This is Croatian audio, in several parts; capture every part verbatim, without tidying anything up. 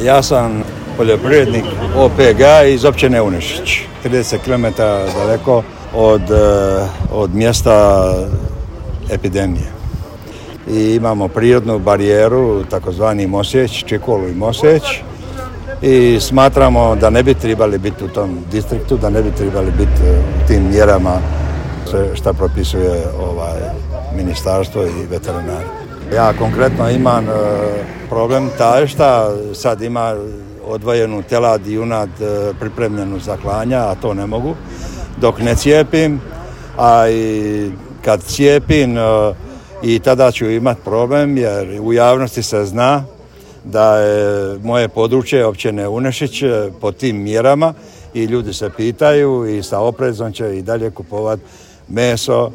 Ja sam poljoprivrednik O P G iz općine Unešić, trideset kilometara daleko od, od mjesta epidemije. I imamo prirodnu barijeru, takozvani Mosjeć, Čikolu i Mosjeć. I smatramo da ne bi trebali biti u tom distriktu, da ne bi trebali biti u tim mjerama što propisuje ovaj ministarstvo i veterinari. Ja konkretno imam e, problem taj što sad ima odvojenu telad i junad e, pripremljenu za klanja, a to ne mogu dok ne cijepim, a i kad cijepim e, i tada ću imati problem jer u javnosti se zna da je moje područje općine Unešić pod tim mjerama i ljudi se pitaju i sa oprezom će i dalje kupovati meso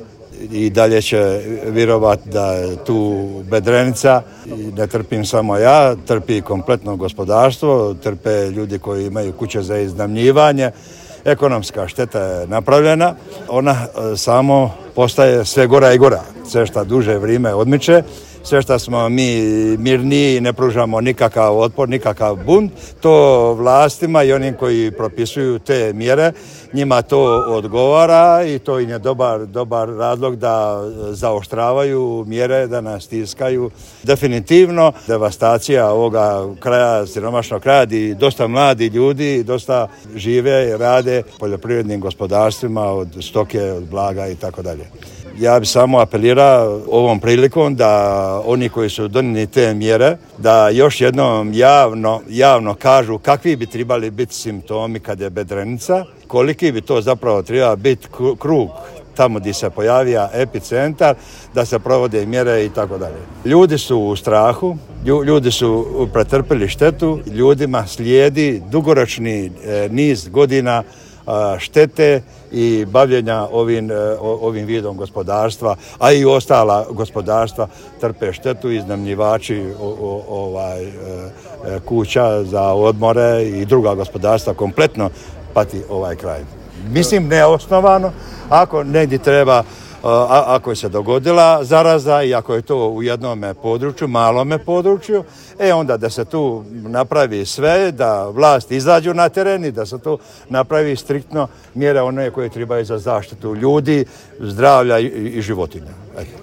i dalje će vjerovati da je tu bedrenica. I ne trpim samo ja, trpi kompletno gospodarstvo, trpe ljudi koji imaju kuće za iznajmljivanje. Ekonomska šteta je napravljena, ona samo postaje sve gora i gora, sve što duže vrijeme odmiče. Sve što smo mi mirniji, ne pružamo nikakav otpor, nikakav bunt, to vlastima i onim koji propisuju te mjere, njima to odgovara i to im je dobar, dobar razlog da zaoštravaju mjere, da nas stiskaju. Definitivno devastacija ovoga kraja, siromašnog kraja, gdje dosta mladi ljudi, dosta žive i rade poljoprivrednim gospodarstvima od stoke, od blaga i tako dalje. Ja bih samo apelirao ovom prilikom da oni koji su donijeli te mjere, da još jednom javno, javno kažu kakvi bi trebali biti simptomi kad je bedrenica, koliki bi to zapravo trebao biti krug tamo gdje se pojavija epicentar, da se provode mjere i tako dalje. Ljudi su u strahu, ljudi su pretrpili štetu, ljudima slijedi dugoročni niz godina štete i bavljenja ovim, ovim vidom gospodarstva, a i ostala gospodarstva trpe štetu, iznajmljivači ovaj, kuća za odmore i druga gospodarstva kompletno pati ovaj kraj. Mislim neosnovano, ako negdje treba, a, ako je se dogodila zaraza i ako je to u jednom području, malome području, e onda da se tu napravi sve, da vlast izađu na teren i da se tu napravi striktno mjere one koje trebaju za zaštitu ljudi, zdravlja i, i životinja. Eto.